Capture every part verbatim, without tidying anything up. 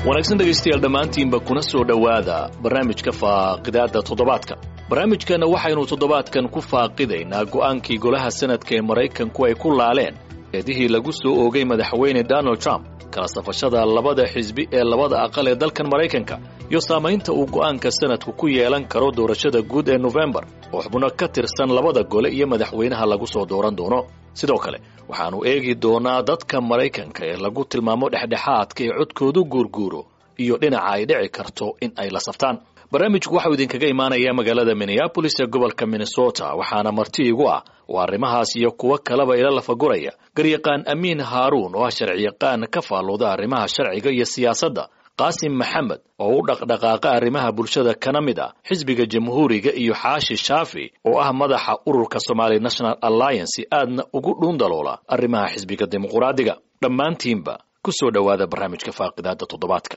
Wanaagsan dhegaystayaal dhammaantiinba, kuna soo dhowaada barnaamijka faaqidaadda toddobaadka. Barnaamijkana waxaynu toddobaadkan ku faaqidaynaa go'aankii golaha sanadka ee Maraykanku ay ku laaleen eedihii lagu soo oogay madaxweyne Donald Trump, kala safashada labada xisbi ee labada aqal ee dalkan Maraykanka iyo saamaynta uu go'aanka sanadku ku yeelan karo doorashada guud ee Nofembar oo xubno ka tirsan labada gole iyo madaxweynaha lagu soo dooran doono. Sidoo kale waxaannu eegi doonaa dadka Maraykanka ee lagu tilmaamo dhexdhexaadka ee codkoodu guurguuro iyo dhinaca ay dhici karto in ay la saftaan. Barnaamijku waxau idinkaga imaanayaa magaalada Minneapolis ee gobolka Minnesota, waxaana marti igu ah oo arrimahaas iyo kuwo kaleba ila lafaguraya garyaqaan Amiin Haaruun oo ah sharciyaqaan ka faallooda arrimaha sharciga iyo siyaasadda, Qaasim Maxamed oo u dhaqdhaqaaqa arrimaha bulshada kana mid ah xisbiga Jamhuuriga, iyo Xaashi Shaafi oo ah madaxa ururka Somali National Alliance, aadna ugu dhuundaloola arrimaha xisbiga Dimuquraadiga. Dhammaantiinba ku soo dhowaada barnaamijka faaqidaada toddobaadka.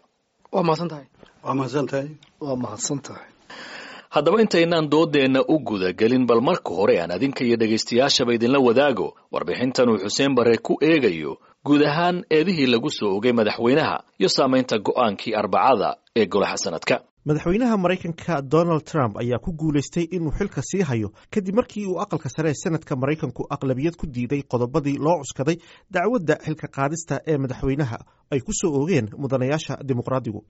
Waa mahadsan tahay. Waa mahadsan tahay. Waa mahadsan tahay. Haddaba intaynaan doodeenna u gudagelin, bal marka hore aan adinka iyo dhegaystayaashaba idinla wadaago warbixintan uu Xuseen Bare ku eegayo guud ahaan eedihii lagu soo ogay madaxweynaha iyo saamaynta go'aankii Arbacada ee golaha sanadka. Madaxweynaha Maraykanka Donald Trump ayaa ku guulaystay inuu xilka sii hayo kadib markii uu aqalka sare ee sanadka Maraykanku aqlabiyad ku diiday qodobadii loo cuskaday dacwadda xilka qaadista ee madaxweynaha ay ku soo oogeen mudanayaasha Dimuqraadigu.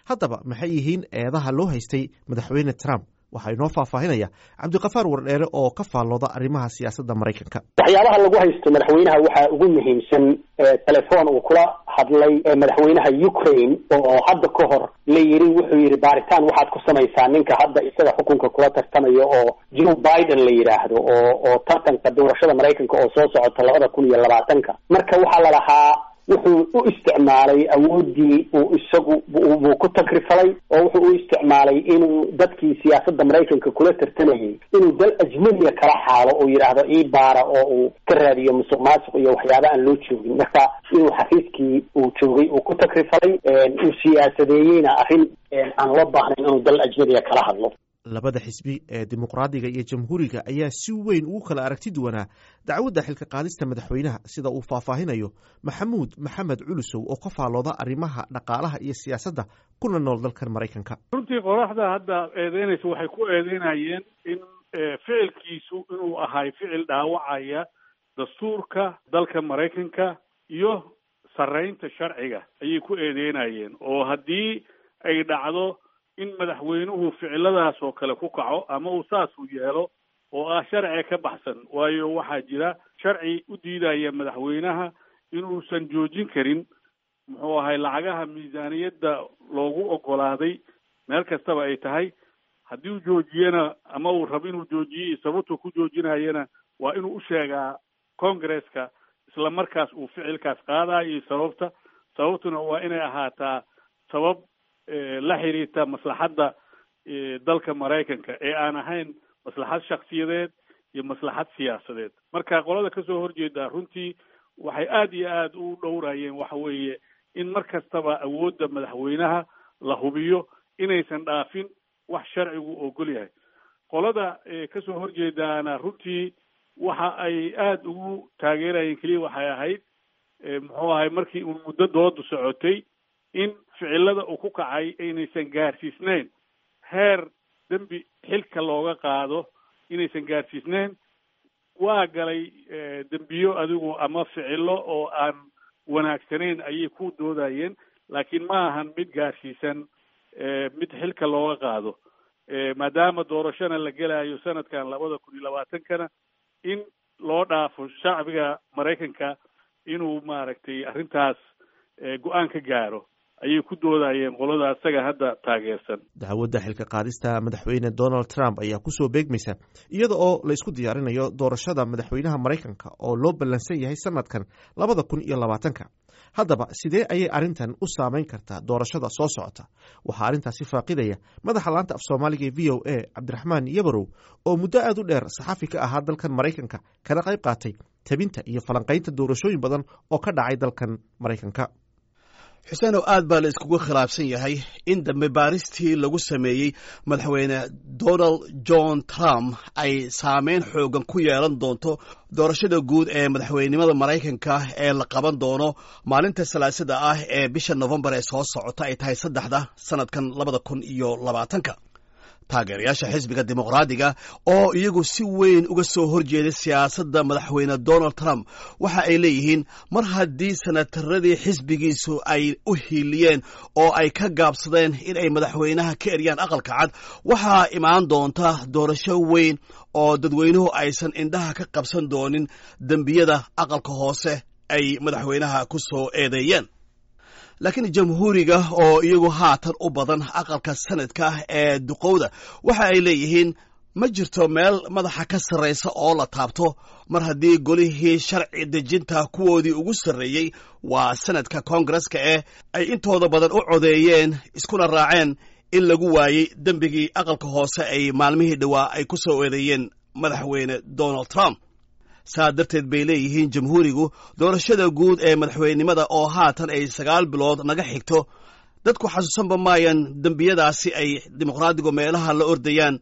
Haddaba maxay yihiin eedaha loo haystay madaxweyne Trump? Waxaa inoo faahfaahinaya Cabdiqafaar Wardheere oo ka faallooda arrimaha siyaasadda Maraykanka. Waxyaabaha lagu haysto madaxweynaha waxaa ugu muhiimsan telefoon uu kula hadlay madaxweynaha Ukraine oo hadda ka hor la yiri, wuxuu yidhi baaritaan waxaad ku samaysaa ninka hadda isaga xukunka kula tartamayo oo Joe Biden la yidhaahdo, oo oo tartanka doorashada Maraykanka oo soo socota labada kun iyo labaatanka. Marka waxaa la lahaa wuxuu u isticmaalay awooddii uu isagu buu ku takrifalay oo wuxuu u isticmaalay inuu dadkii siyaasadda Maraykanka kula tartamayay inuu dal ajnabiga kala xaalo oo yidhaahdo ii baara, oo uu ka raadiyo musuq maasuq iyo waxyaaba aan loo joogin. Marka inuu xafiiskii uu joogay uu ku takrifalay, uu siyaasadeeyeyna arrin aan loo baahnayn inuu dal ajnabiga kala hadlo. Labada xisbi ee Dimuqraadiga iyo Jamhuuriga ayaa si weyn ugu kala aragti duwanaa dacwadda xilka qaadista madaxweynaha, sida uu faahfaahinayo Maxamuud Maxamed Culusow oo ka faallooda arrimaha dhaqaalaha iyo siyaasadda kuna nool dalkan Maraykanka. Runtii qoraxda hadda eedeynaysa waxay ku eedeynayeen in ficilkiisu inuu ahay ficil dhaawacaya dastuurka dalka Maraykanka iyo sarreynta sharciga ayay ku eedeynayeen, oo haddii ay dhacdo in madaxweynuhu ficiladaas oo kale ku kaco ama uu saasuu yeelo oo ah sharciga ka baxsan, waayo waxaa jira sharci u diidaya madaxweynaha inuusan joojin karin muxuu ahay lacagaha miisaaniyadda loogu ogolaaday meel kastaba ay tahay. Haddii uu joojiyana ama uu rabo inuu joojiyo iyo sababtuu ku joojinayana waa inuu u sheegaa Congresska isla markaas uu ficilkaas qaadayo iyo sababta. Sababtuna waa inay ahaataa sabab la xiriirta maslaxadda dalka Maraykanka ee aan ahayn maslaxad shaksiyadeed iyo maslaxad siyaasadeed. Marka qolada kasoo horjeeda runtii waxay aada iyo aada u dhowrayeen waxa weeye in mar kastaba awoodda madaxweynaha la hubiyo inaysan dhaafin wax sharcigu ogol yahay. Qolada kasoo horjeedaana runtii waxa ay aada ugu taageerayeen keliya waxay ahayd muxuu ahay markii uu muddo doodu socotay in ficilada uu ku kacay inaysan gaarsiisnayn heer dembi xilka looga qaado, inaysan gaarsiisnayn. Waa galay dembiyo adigu ama ficilo oo aan wanaagsanayn ayay ku doodayeen, laakiin ma ahan mid gaarsiisan mid xilka looga qaado, maadaama doorashona la gelayo sanadkan labada kun iyo labaatankana in loo dhaafo shacbiga Maraykanka inuu maaragtay arrintaas go-aan ka gaaro ayay ku doodayeen qolada asaga hadda taageersan. Dacwadda xilka qaadista madaxweyne Donald Trump ayaa kusoo beegmaysa iyada oo la isku diyaarinayo doorashada madaxweynaha Maraykanka oo loo ballansan yahay sanadkan labada kun iyo labaatanka. Haddaba sidee ayay arrintan u saameyn kartaa doorashada soo socota? Waxaa arrintaasi faaqidaya madaxa laanta af Soomaaliga ee V O A, Cabdiraxmaan Yabarow, oo muddo aad u dheer saxafi ka ahaa dalkan Maraykanka, kana qayb qaatay tabinta iyo falanqaynta doorashooyin badan oo ka dhacay dalkan Maraykanka. Xuseenow, aad baa la iskugu khilaafsan yahay in dambe baaristii lagu sameeyey madaxweyne Donald John Trump ay saameyn xoogan ku yeelan doonto doorashada guud ee madaxweynenimada Maraykanka ee la qaban doono maalinta Salaasada ah ee bisha Nofembar ee soo socota ay tahay saddexda sanadkan labada kun iyo labaatanka. Taageerayaasha xisbiga Dimuqraadiga oo iyagu si weyn uga soo horjeeday siyaasadda madaxweyne Donald Trump waxa ay leeyihiin, mar haddii senataradii xisbigiisu ay u hiiliyeen oo ay ka gaabsadeen in ay madaxweynaha ka eryaan Aqalka Cad, waxaa imaan doonta doorasho weyn oo dadweynuhu aysan indhaha ka qabsan doonin dembiyada aqalka hoose ay madaxweynaha ku soo eedeeyeen. Laakiin Jamhuuriga oo iyagu haatan u badan aqalka Sanadka ee duqowda waxa ay leeyihiin, ma jirto meel madaxa ka sarraysa oo la taabto mar haddii golihii sharci dejinta kuwoodii ugu sarreeyey, waa Sanadka Koongareska, ee ay intooda badan u codeeyeen iskuna raaceen in lagu waayey dembigii aqalka hoose ay maalmihii dhowaa ay ku soo eedeeyeen madaxweyne Donald Trump. Saa darteed bay leeyihiin Jamhuurigu, doorashada guud ee madaxweynenimada oo haatan ay sagaal bilood naga xigto, dadku xasuusanba maayaan dembiyadaasi ay Dimuqraadigu meelaha la ordayaan.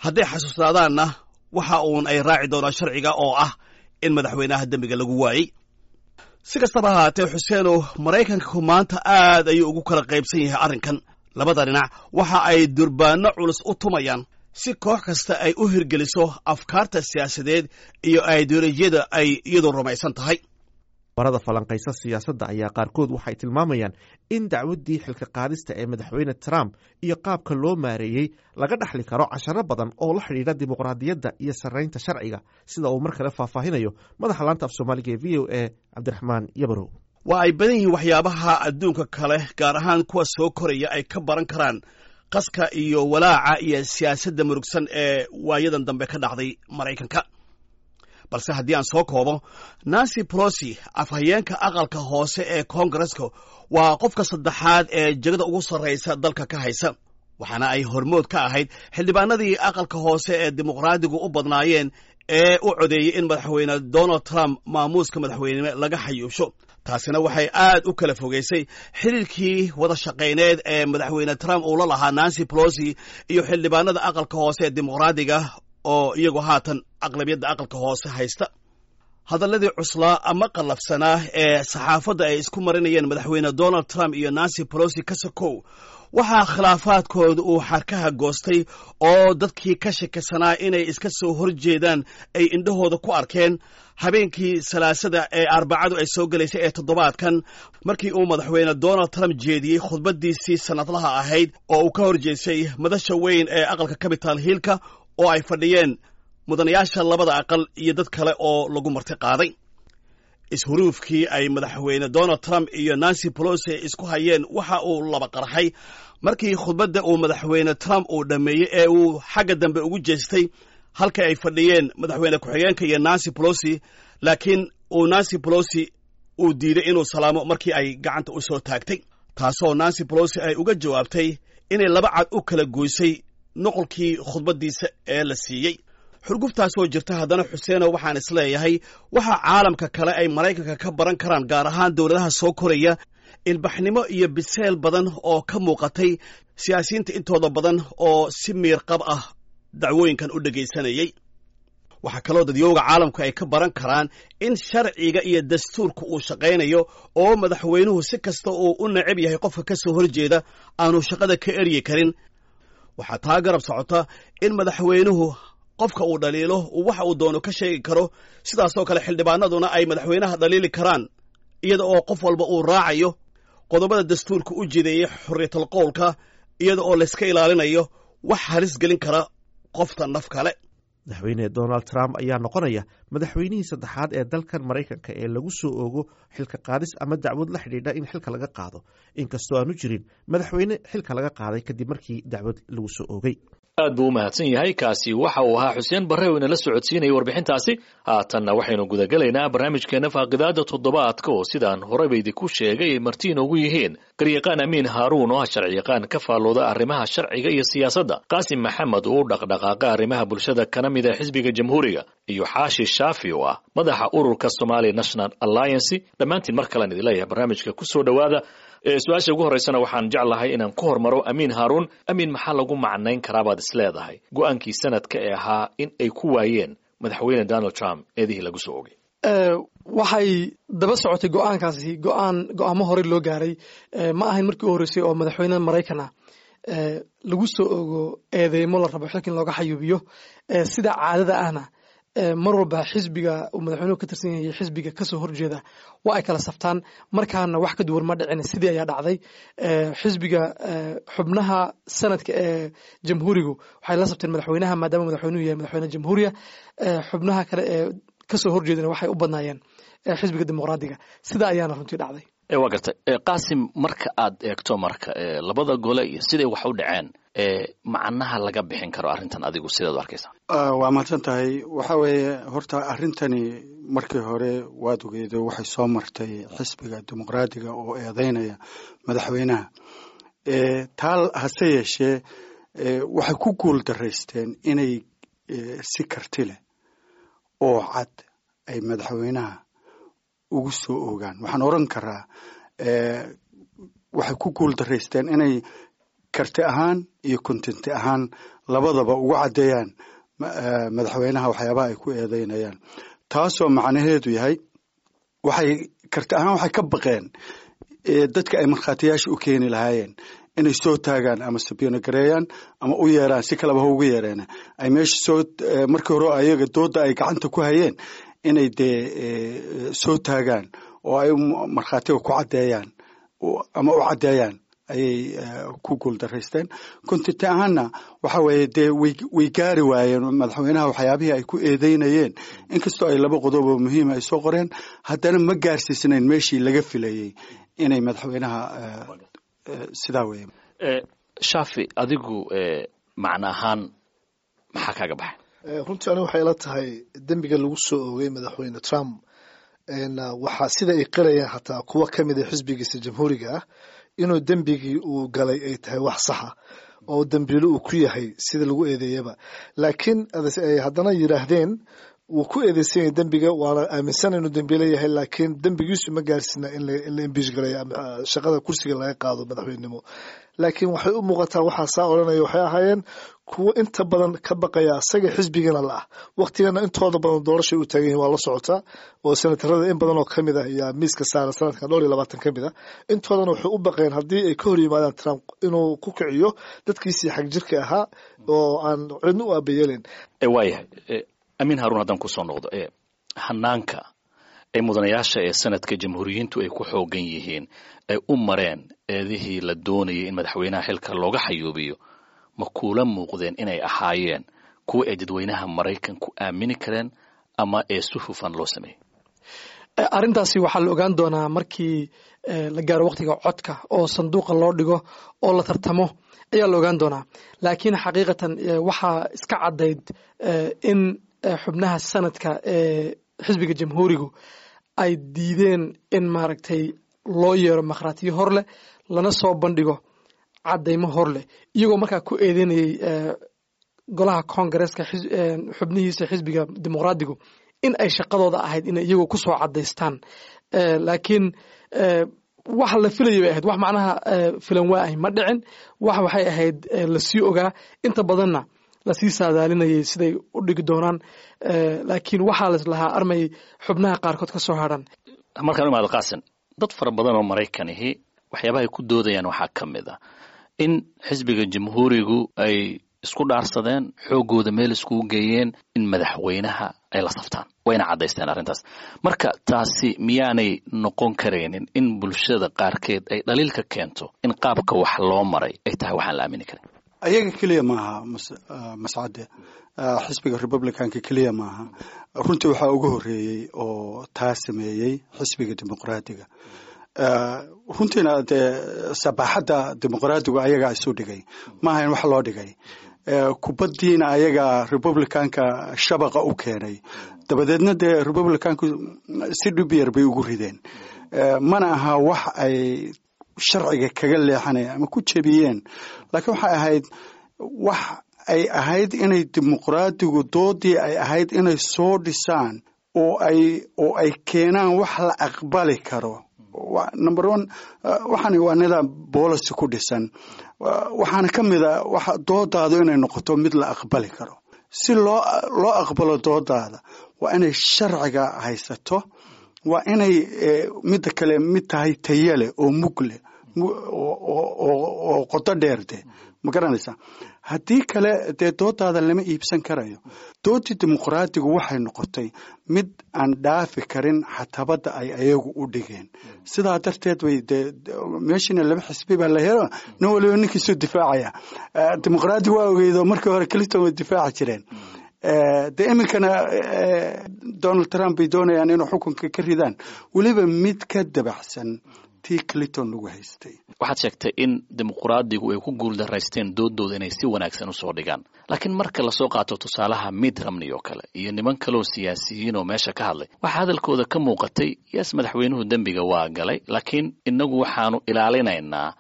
Hadday xasuusnaadaanna, waxa uun ay raaci doonaan sharciga oo ah in madaxweynaha dembiga lagu waayey. Si kastaba ahaatee, Xuseenow, Maraykanku maanta aad ayuu ugu kala qaybsan yahay arrinkan. Labada dhinac waxa ay durbaanno culus u tumayaan si koox kasta ay u hirgeliso afkaarta siyaasadeed iyo ideolojiyada ay iyadu rumaysan tahay. Barada falanqaysa siyaasadda ayaa qaarkood waxay tilmaamayaan in dacwaddii xilka qaadista ee madaxweyne Trump iyo qaabka loo maareeyey laga dhaxli karo casharo badan oo la xidhiidha dimuqraadiyadda iyo sarraynta sharciga, sida uu mar kale faahfaahinayo madaxa laanta af Soomaaliga ee V O A, Cabdiraxmaan Yabarow. Waa ay badan yihiin waxyaabaha adduunka kale, gaar ahaan kuwa soo koraya, ay ka baran karaan qaska iyo walaaca iyo siyaasadda murugsan ee waayadan dambe ka dhacday Maraykanka. Balse haddii aan soo koobo, Nancy Pelosi, afhayeenka aqalka hoose ee Koongareska, waa qofka saddexaad ee jegada ugu sarraysa dalka ka haysa, waxaana ay hormood ka ahayd xildhibaanadii aqalka hoose ee Dimuqraadigu u badnaayeen ee u codeeyey in madaxweyne Donald Trump maamuuska madaxweynenimo laga xayuubsho. Taasina waxay aad u kala fogeysay xiriirkii wada shaqayneed ee madaxweyne Trump uu la lahaa Nancy Pelosi iyo xildhibaanada aqalka hoose ee Dimuqraadiga oo iyagu haatan aqlabiyadda aqalka hoose haysta. Hadalladii cuslaa ama qallafsanaa ee saxaafadda ay isku marinayeen madaxweyne Donald Trump iyo Nancy Pelosi ka sokow, waxaa khilaafaadkooda uu xarkaha goostay oo dadkii ka shakisanaa inay iska soo horjeedaan ay indhahooda ku arkeen habeenkii Salaasada ee Arbacadu ay soo gelaysay ee toddobaadkan, markii uu madaxweyne Donald Trump jeediyey khudbaddiisii sannadlaha ahayd oo uu ka horjeesay madasha weyn ee aqalka Capitol Hillka oo ay fadhiyeen mudanayaasha labada aqal iyo dad kale oo lagu marti qaaday. Ishuruufkii ay madaxweyne Donald Trump iyo Nancy Pelosi isku hayeen waxa uu laba qarxay markii khudbadda uu madaxweyne Trump uu dhammeeyey ee uu xagga dambe ugu jeestay halka ay fadhiyeen madaxweyne ku-xigeenka iyo Nancy Pelosi, laakiin uu Nancy Pelosi uu diiday inuu salaamo markii ay gacanta u soo taagtay, taasoo Nancy Pelosi ay uga jawaabtay inay laba cad u kala goysay nuqulkii khudbaddiisa ee la siiyey. Xurguftaasoo jirta haddana, Xuseeno, waxaan isleeyahay waxa caalamka kale ay Maraykanka ka baran karaan, gaar ahaan dowladaha soo koraya, ilbaxnimo iyo biseel badan oo ka muuqatay siyaasiyiinta intooda badan oo si miirqab ah dacwooyinkan u dhegaysanayey. Waxaa kaloo dadyooga caalamku ay ka baran karaan in sharciga iyo dastuurka uu shaqaynayo oo madaxweynuhu si kasta uu u necab yahay qofka ka soo horjeeda aanu shaqada ka eryi karin. Waxaa taa garab socota in madaxweynuhu qofka uu dhaliilo uu waxa uu doono ka sheegi karo, sidaasoo kale xildhibaanaduna ay madaxweynaha dhaliili karaan, iyada oo qof walba uu raacayo qodobada dastuurka u jideeyey xorriyatal qowlka, iyada oo layska ilaalinayo wax halis gelin kara qofta naf kale. Madaxweyne Donald Trump ayaa noqonaya madaxweynihii saddexaad ee dalkan Maraykanka ee lagu soo oogo xilka qaadis ama dacwad la xidhiidha in xilka laga qaado, inkastoo aanu jirin madaxweyne xilka laga qaaday kadib markii dacwad lagu soo oogay. Aad buu u mahadsan yahay. Kaasi waxa uu ahaa Xuseen Barre oo inala socodsiinaya warbixintaasi. Haatanna waxaynu gudagelaynaa barnaamijkeena faaqidaada toddobaadka oo sidaan horeyba idinku sheegay ay marti inoogu yihiin garyaqaan Amiin Haaruun oo ah sharciyaqaan ka faallooda arrimaha sharciga iyo siyaasadda, Qaasim Maxamed oo u dhaqdhaqaaqa arrimaha bulshada kana mid ah xisbiga Jamhuuriga, iyo Xaashi Shaafi oo ah madaxa ururka Somali National Alliance. Dhammaantiin mar kalean idin leeyahay barnaamijka ku soo dhowaada. Su-aasha ugu horreysana waxaan jeclahay inaan ku hormaro Amiin Haaruun. Amiin, maxaa lagu macnayn karaabaad is leedahay go-aankii sanadka ee ahaa in ay ku waayeen madaxweyne Donald Trump eedihii lagu soo ogay? Waxay daba socotay go-aankaasi go-aan go-aamo horey loo gaaray. Ma ahayn markii u horreysay oo madaxweyne Maraykan ah lagu soo ogo eedeymo la rabo xilka in looga xayuubiyo. Sida caadada ahna, mar walba xisbiga uu madaxweynuhu ka tirsan yahay xisbiga kasoo horjeeda waa ay kala saftaan. Markaana wax ka duwan ma dhicin, sidii ayaa dhacday. Xisbiga xubnaha sanadka ee Jamhuurigu waxay la sabteen madaxweynaha, maadaama madaxweynuhu yahay madaxweyne jamhuuriya. Xubnaha kale ee kasoo horjeedana waxay u badnaayeen xisbiga Dimuqraadiga. Sida ayaana runtii dhacday. Waa gartay, Qaasim. Marka aad eegto marka labada gole iyo siday wax u dhaceen, macnaha laga bixin karo arrintan, adigu sidaad u arkaysaa? Waa mahadsan tahay. Waxa weeye, horta arrintani markii hore waad ogeedo, waxay soo martay xisbiga Dimuqraadiga oo eedeynaya madaxweynaha. Taa hase yeeshee, waxay ku guul daraysteen inay si karti leh oo cad ay madaxweynaha ugu soo ogaan. Waxaan oran karaa waxay ku guul daraysteen inay karti ahaan iyo content ahaan labadaba ugu caddeeyaan madaxweynaha waxyaabaha ay ku eedeynayaan, taasoo macnaheedu yahay waxay karti ahaan waxay ka baqeen dadka ay markhaatiyaasha u keeni lahaayeen inay soo taagaan ama subpoena gareeyaan ama u yeeraan, si kaleba ha ugu yeereena, ay meesha soo markii hore ayaga dooda ay gacanta ku hayeen inay dee soo taagaan oo ay markhaatiga ku caddeeyaan ama u caddeeyaan ayay ku guuldaraysteen. Content ahaanna waxa weeye dee way way gaari waayeen madaxweynaha waxyaabihii ay ku eedeynayeen. Inkastoo ay laba qodob oo muhiima ay soo qoreen, haddana ma gaarsiisnayn meeshii laga filayey inay madaxweynaha. Sidaa weeye. Shaafi, adigu macno ahaan maxaa kaaga baxay? Runtii anigu waxay ila tahay dembiga lagu soo oogay madaxweyne Trump waxaa sida ay qirayaan xataa kuwa ka mid a xisbigiisa Jamhuuriga ah inuu dembigii uu galay ay tahay wax saxa oo dembiilo uu ku yahay sida lagu eedeeyaba, laakiin ay haddana yidhaahdeen wuu ku eedeysan yahay dembiga, waana aaminsan inuu dembiilo yahay, laakiin dembigiisu ma gaarsina in la impeach gareeyo ama shaqada kursiga laga qaado madaxweynenimo. Laakiin waxay u muuqataa waxaa saa odhanaya waxay ahaayeen kuwo inta badan ka baqaya asaga xisbigana la ah. Waqtigana intooda badan doorashay u taagan yihin, waa la socotaa, oo senatarada in badan oo kamid ah ayaa miiska saara sanadkan, dhowr iyo labaatan ka mid ah. Intoodana waxay u baqeen haddii ay ka hor yimaadaan Trump inuu ku kiciyo dadkiisii xag jirka ahaa oo aan cidna u aabayeelin. Waayahay, Amiin Haruun, haddaan kusoo noqdo hanaanka ay mudanayaasha ee sanadka Jamhuuriyiintu ay ku xoogan yihiin ay u mareen eedihii la doonayay in madaxweynaha xilka looga xayuubiyo, ma kuula muuqdeen inay ahaayeen kuwa ay dadweynaha Maraykanku aamini kareen ama ee si hufan loo sameeyey? Arrintaasi waxaa la ogaan doonaa markii la gaaro waqtiga codka oo sanduuqa loo dhigo oo la tartamo ayaa la ogaan doonaa. Laakiin xaqiiqatan waxaa iska caddayd in xubnaha sanadka ee xisbiga Jamhuurigu ay diideen in maaragtay loo yeero makhraatiyo hor leh, lana soo bandhigo caddaymo hor leh, iyagoo markaa ku eedeynayay golaha Koongareeska xubnihiisa xisbiga Dimuqraadigu in ay shaqadooda ahayd inay iyagu ku soo caddaystaan. Laakiin wax la filayay bay ahayd, wax macnaha filan waa ahy ma dhicin. Wax waxay ahayd lasii ogaa, inta badanna lasii saadaalinayay siday u dhigi doonaan, laakiin waxaa laislahaa armay xubnaha qaarkood ka soo hadhan. Markaan imaado Qaasim, dad fara badan oo Maraykanihi waxyaabaha ay ku doodayaan waxaa ka mid ah in xisbiga Jamhuurigu ay isku dhaarsadeen, xooggooda meel iskugu geeyeen in madaxweynaha ay la saftaan, wayna caddaysteen arrintaas. Marka taasi miyaanay noqon karaynin in bulshada qaarkeed ay dhaliilka keento in qaabka wax loo maray ay tahay waxaan la aamini karin? Ayaga keliya maaha, Mascade, xisbiga Republicanka keliya maaha. Runtii waxaa ugu horreeyey oo taa sameeyey xisbiga Dimuqraadiga. Runtiina dee sabaaxadda Dimuqraadigu ayagaa isu dhigay, maaha in wax loo dhigay. Kubaddiina ayagaa Republicanka shabaqa u keenay, dabadeedna dee Republicanku si dhib yar bay ugu rideen. Mana aha wax ay sharciga kaga leexanayaan ama ku jebiyeen, laakiin waxay ahayd wax ay ahayd inay Dimuqraadigu doodii ay ahayd inay soo dhisaan oo ay oo ay keenaan wax la aqbali karo. Number one, waxani waa nidaam policy ku dhisan, waxaana ka mid a waxa doodaadu inay noqoto mid la aqbali karo. Si loo loo aqbalo doodaada waa inay sharciga haysato, waa inay midda kale mid tahay tayo leh oo mug leh oo qoto dheer de, ma garanaysaa? Haddii kale dee doodaada lama iibsan karayo. Doodii dimuqraadigu waxay noqotay mid aan dhaafi karin xatabadda ay ayagu u dhigeen. Sidaa darteed bay dee meeshiina laba xisbi baa la helo, nin waliba ninkiisuu difaacaya. Dimuqraadigu waa ogeydo markii hore Clinton way difaaci jireen, dee iminkana Donald Trump bay doonayaan inuu xukunka ka ridaan, weliba mid ka dabacsan tii Clinton lagu haystay. Waxaad sheegtay in dimuqraadigu ay ku guuldaraysteen doodooda inay si wanaagsan usoo dhigaan, laakiin marka lasoo qaato tusaalaha Mitt Romney oo kale iyo niman kaleoo siyaasiyiin oo meesha ka hadlay, waxaa hadalkooda ka muuqatay, yes, madaxweynuhu dembiga waa galay, laakiin inagu waxaanu ilaalinaynaa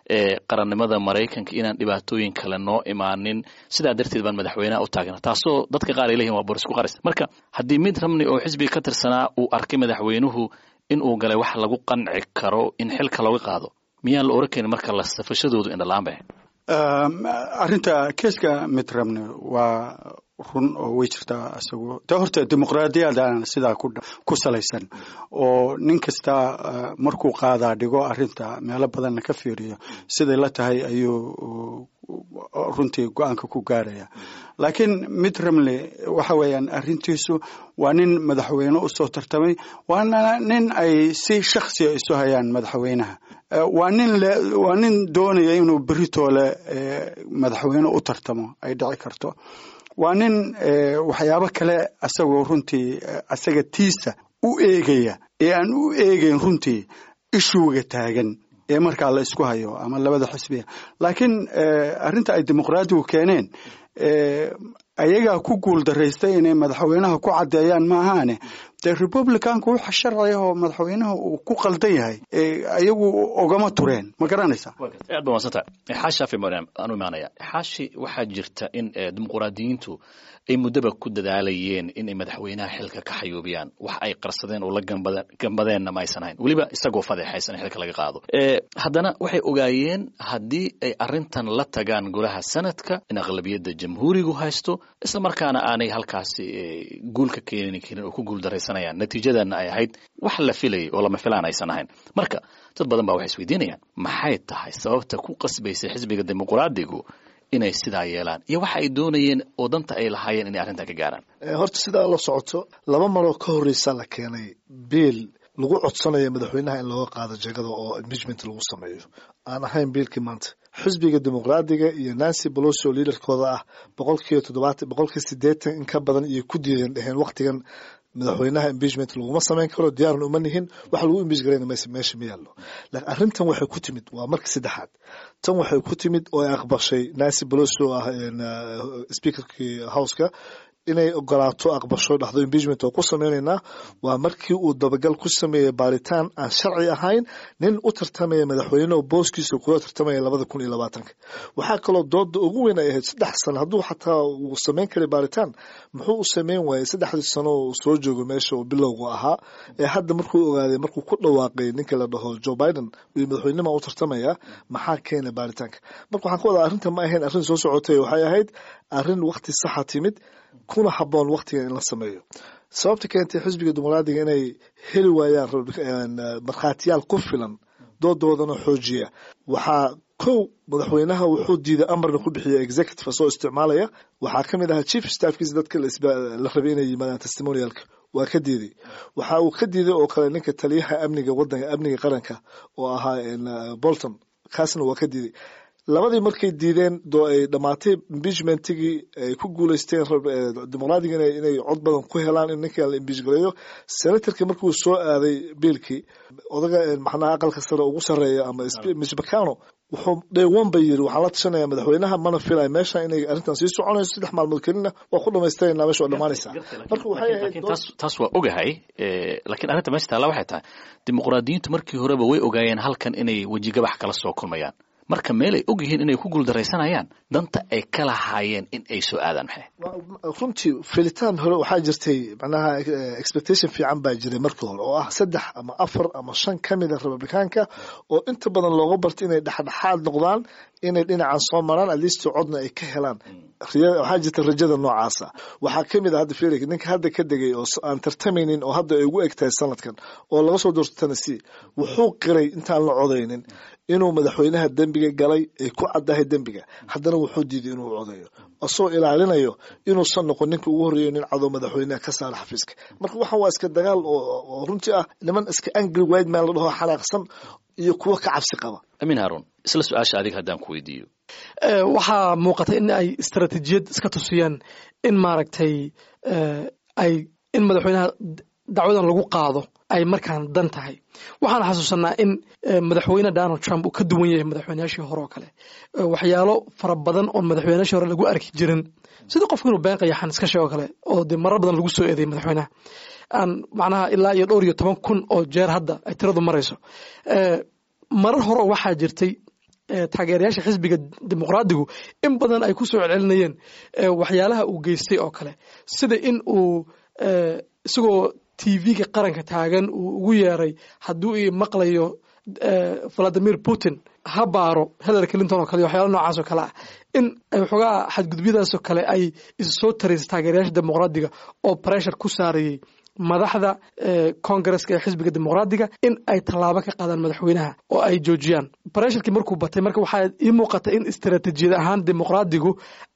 qarannimada Maraykanka, inaan dhibaatooyin kale noo imaanin, sidaa darteed baan madaxweynaha u taagna, taasoo dadka qaar ay leeyihin waa borisku qaris. Marka haddii Mitt Romney oo xisbiga ka tirsanaa uu arkay madaxweynuhu in uu galay wax lagu qanci karo in xilka looga qaado, miyaan la oran karin marka la safashadoodu indhalaan bay? Arrinta keeska Mitt Romney waa run oo way jirtaa. Isagu de horta dimuqraadiyadana sidaa ku salaysan oo nin kasta markuu qaadaa dhigo arrinta, meelo badanna ka fiiriyo, siday la tahay ayuu runtii go-aanka ku gaaraya. Laakiin Mitt Romney waxa weeyaan arrintiisu waa nin madaxweyne usoo tartamay, waana nin ay si shaksiya isu hayaan madaxweynaha, waa nin waa nin doonaya inuu beritoole madaxweyne u tartamo ay dhici karto, waa nin waxyaabo kale asagoo runtii asaga tiisa u eegaya ee aan u eegeyn runtii issue-ga taagan ee markaa la isku hayo ama labada xisbiya. Laakiin arrinta ay dimuqraadigu keeneen, ayagaa ku guul daraystay inay madaxweynaha ku caddeeyaan maahaane, dee Republicanku waxa sharciga oo madaxweynaha uu ku qaldan yahay ayagu ogama tureen, ma garanaysaa? Aad ba madsanta. Xaashi mariam aanu imaanaya. Xaashi, waxaa jirta in dimuqraadiyiintu ay muddaba ku dadaalayeen inay madaxweynaha xilka ka xayuubiyaan. Wax ay qarsadeen oo la gambadeenna ma aysan ahayn, weliba isagoo fadeexaysan in xilka laga qaado. Haddana waxay ogaayeen haddii ay arrintan la tagaan golaha sanadka in aqlabiyadda jamhuurigu haysto, isla markaana aanay halkaasi guul ka keeni karin oo ku guul daraysanayaan, natiijadana ay ahayd wax la filayay oo lama filaan aysan ahayn. Marka dad badan baa waxay isweydiinayaan maxay tahay sababta ku qasbaysay xisbiga dimuqraadigu inay sidaa yeelaan iyo waxa ay doonayeen oo danta ay lahaayeen inay arrintan ka gaaraan. Horta sidaa la socoto, laba maroo ka horreysa la keenay biil lagu codsanayo madaxweynaha in looga qaado jegada oo impeachment lagu sameeyo, aan ahayn biilkii maanta. Xisbiga Dimuqraadiga iyo Nancy Pelosi oo leaderkooda ah boqolkiiba toddobaatan, boqolkiiba siddeetan in ka badan iyo ku diideen, dheheen waqtigan madaxweynaha impeachment laguma samayn karo, diyaarna uma nihin, wax lagu impeach garayna maysa meesha ma yaallo. Laakiin arrintan waxay ku timid, waa markii saddexaad, tan waxay ku timid oo ay aqbashay Nancy Pelosi oo ah speakerkii houseka inay ogolaato, aqbasho, dhahdo impeachment oo ku sameynaynaa, waa markii uu dabagal ku sameeyey baaritaan aan sharci ahayn nin u tartamaya madaxweyne oo booskiisa kula tartamaya labada kun iyo labaatanka. Waxaa kaloo dooda ugu weyn ay ahayd, saddex sano hadduu xataa uu sameyn karay baaritaan, muxuu u sameyn waayey saddexdii sano uu soo joogo meesha uu bilowga ahaa, ee hadda markuu ogaaday, markuu ku dhawaaqay ninka la dhaho Joe Biden iyo madaxweynima u tartamaya, maxaa keenay baaritaanka? Marka waxaan ka wadaa, arrinta ma ahayn arrin soo socotay, waxay ahayd arrin waqti saxa timid kuna habboon waqtigan in la sameeyo. Sababta keentay xisbiga Dimuqraadiga inay heli waayaan markhaatiyaal ku filan doodoodana xoojiya, waxaa kow, madaxweynaha wuxuu diiday, amarna ku bixiyay executive soo isticmaalaya. Waxaa ka mid ahaa chief staffkiisa dadka la rabay inay yimaadaan testimonialka, waa ka diiday. Waxa uu ka diiday oo kale ninka taliyaha amniga wadanka, amniga qaranka oo ahaa Bolton, kaasna waa ka diiday. Labadii markay diideen doo ay dhamaatay impeachmentigii, ay ku guuleysteen Dimuqraadiga inay cod badan ku helaan in ninkan la impeach gareeyo. Senatorkii markuu soo aaday biilkii, odaga macnaha aqalka sare ugu sarreeya ama Mitch McConnell wuxuu day one ba yiri, waxaan la tashanayaa madaxweynaha, mana filay meesha inay arrintan sii soconayso, saddex maalmood kelina waa ku dhamaystirayna, meesha waa dhamaanaysaa. Marka waxay ahayd taas taas waa ogahay, laakiin arrinta meesha taalla waxay tahay dimuqraadiyiintu markii horeba way ogaayeen halkan inay wejigabax kala soo kulmayaan. Marka meel ay og yihiin inay ku guuldaraysanayaan, danta ay ka lahaayeen in ay soo aadaan maxay? Runtii filitaan hore waxaa jirtay, macnaha expectation fiican baa jiray markii hore, oo ah saddex ama afar ama shan ka mida Republikaanka oo inta badan looga bartay inay dhexdhexaad noqdaan, inay dhinacan soo maraan, at least codna ay ka helaan. Waxaa jirta rajada noocaasa. Waxaa kamid ah hadda felix, ninka hadda ka degay oo aan tartamaynin oo hadda ay ugu eg tahay sanadkan, oo laga soo doorto Tennessee, wuxuu qiray intaan la codaynin inuu madaxweynaha dembiga galay, ay ku caddahay dembiga. Haddana wuxuu diiday inuu codeeyo, asagoo ilaalinayo inuusan noqon ninka ugu horreeyo nin cadow madaxweynaha ka saara xafiiska. Marka waxan waa iska dagaal oo runtii ah niman iska angry white man la dhaho, xanaaqsan, iyo kuwo ka cabsi qaba. Amiin Haarun, isla su-aasha adiga haddaan ku weydiiyo. Waxaa muuqata in ay istaraatiijiyad iska tusiyeen in maaragtay ay in madaxweynaha dacwadan lagu qaado ay markaan dan tahay. Waxaan xasuusanaa in madaxweyne Donald Trump uu ka duwan yahay madaxweynayaashii hore oo kale, waxyaalo fara badan oon madaxweynayaashii hore lagu arki jirin, sida qofku inuu been qayaxan iska sheego kale, oo dee marar badan lagu soo eedeeyay madaxweynaha, aan macnaha ilaa iyo dhowr iyo toban kun oo jeer hadda ay tiradu marayso. Marar hore waxaa jirtay taageerayaasha xisbiga Dimuqraadigu in badan ay ku soo celcelinayeen waxyaalaha uu geystay oo kale, sida in uu isagoo T V-ga qaranka taagan uu ugu yeeray hadduu i maqlayo Vladimir Putin ha baaro Hillary Clinton oo kale, waxyaala noocaas oo kale ah, in waxoogaa xadgudubyadaasoo kale ay isu soo taraysay taageerayaasha Dimuqraadiga oo pressure ku saarayay madaxda Congresska ee xisbiga Dimuqraadiga in ay tallaabo ka qaadaan madaxweynaha oo ay joojiyaan. Pressurekii markuu batay, marka waxaa ii muuqata in istaraatiijiyad ahaan Dimuqraadigu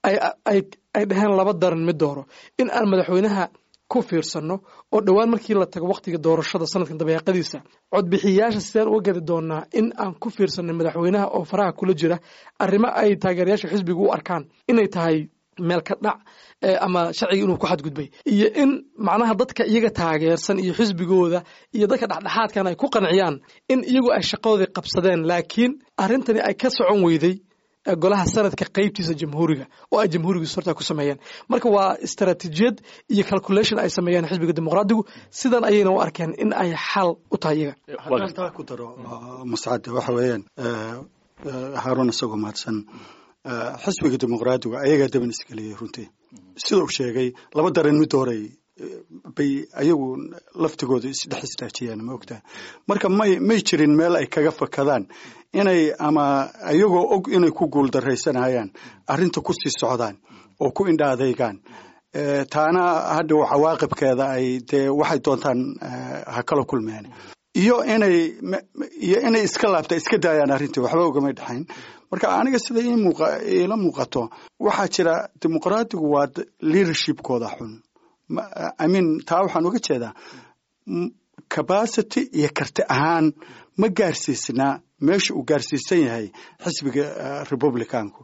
ay ay ay dhaheen laba daran mid dooro: in aan madaxweynaha ku fiirsano oo dhowaan markii la tago waqtiga doorashada sanadkan dabeeqadiisa codbixiyayaasha sideen uga gadi doonaa in aan ku fiirsanay madaxweynaha oo faraha kula jira arrimo ay taageerayaasha xisbigu u arkaan inay tahay meel ka dhac ama sharciga inuu ku xadgudbay, iyo in macnaha dadka iyaga taageersan iyo xisbigooda iyo dadka dhexdhexaadkan ay ku qanciyaan in iyagu ay shaqadoodii qabsadeen, laakiin arrintani ay ka socon weyday golaha sanadka qeybtiisa Jamhuuriga oo ay Jamhuuriga horta ku sameeyeen. Marka waa istaraatiijiyad iyo calculation ay sameeyeen xisbiga Dimuqraadigu, sidan ayayna u arkeen in ay xal u tahay iyaga. Haddaan taa ku daro, Mascade, waxa weeyaan, Haaruun isagoo mahadsan, xisbiga Dimuqraadigu ayagaa daban isgeliyey runtii. Sida uu sheegay, laba daran mid horay bay ayagu laftigooda isdhex istaajiyaan, ma ogtaha? Marka may may jirin meel ay kaga fakadaan inay ama ayagoo og inay ku guuldaraysanayaan arrinta ku sii socdaan oo ku indha adeygaan, taana hadhow cawaaqibkeeda ay dee waxay doontaan ha kala kulmeen, iyo inay iyo inay iska laabta, iska daayaan arrintii, waxba ugamay dhexayn. Marka aniga sida iila muuqato, waxaa jira Dimuqraadigu waa leadershipkooda xun. I mean, taa waxaan uga jeedaa capacity iyo karti ahaan ma gaarsiisnaa meesha uu gaarsiisan yahay xisbiga Republicanku.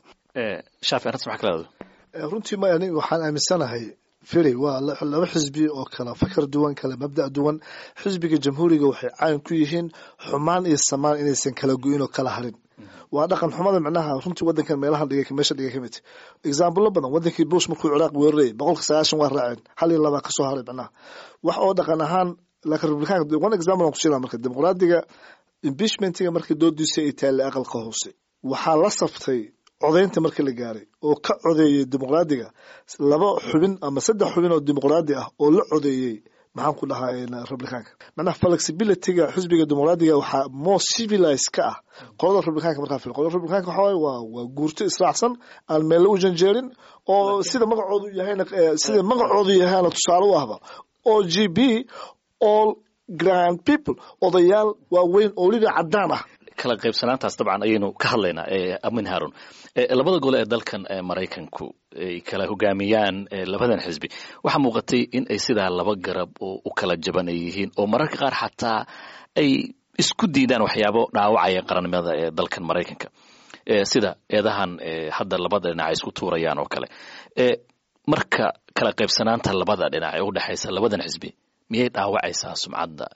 Shaafi, arrintas maxaa ka leedahay? Runtii ma aniga waxaan aaminsanahay, firi, waa laba xisbi oo kala fakar duwan, kala mabda' duwan. Xisbiga Jamhuuriga waxay caan ku yihiin xumaan iyo samaan inaysan kala go'in oo kala harin. Waa dhaqan xumada macnaha runtii wadankan meelahan dhigay, meesha dhigay kamid. Example badan, wadankii Bush markuu Ciraaq weerarayay, boqolka sagaashan waa raaceen, hal iyo laba kasoo haray, macnaha wax oo dhaqan ahaan. Laakiin Republicanka, one example aan ku siinaa, marka Dimuqraadiga impeachmentiga markii doodiisa ay taallay aqalka hoose, waxaa la saftay codaynta markii la gaaray oo ka codeeyey Dimuqraadiga laba xubin ama saddex xubin oo Dimuqraadi ah oo la codeeyey, maxaan ku dhahaa, Republicanka. Macnaha flexibilityga xisbiga Dimuqraadiga waxaa more civilized ka ah qolada Republicanka. Markaa fil qolada Republicanka waxa waaye waa waa guurto israacsan, aan meelle u janjeerin, oo sida magacoodu yahayna sida magacoodu yahayna tusaale u ahba, o g p, all grand people, odayaal waaweyn oo weliba caddaan ah. Kala qaybsanaantaas dabcan ayaynu ka hadlaynaa. Amin Haarun, labada gole ee dalkan Maraykanku ay kala hogaamiyaan labadan xisbi, waxaa muuqatay in ay sidaa laba garab oo u kala jaban ay yihiin, oo mararka qaar xataa ay isku diidaan waxyaabo dhaawacaya qarannimada ee dalkan Maraykanka, sida eedahan hadda labada dhinac ay isku tuurayaan oo kale. Marka kala qaybsanaanta labada dhinac ee u dhexaysa labadan xisbi miyay dhaawacaysaa sumcadda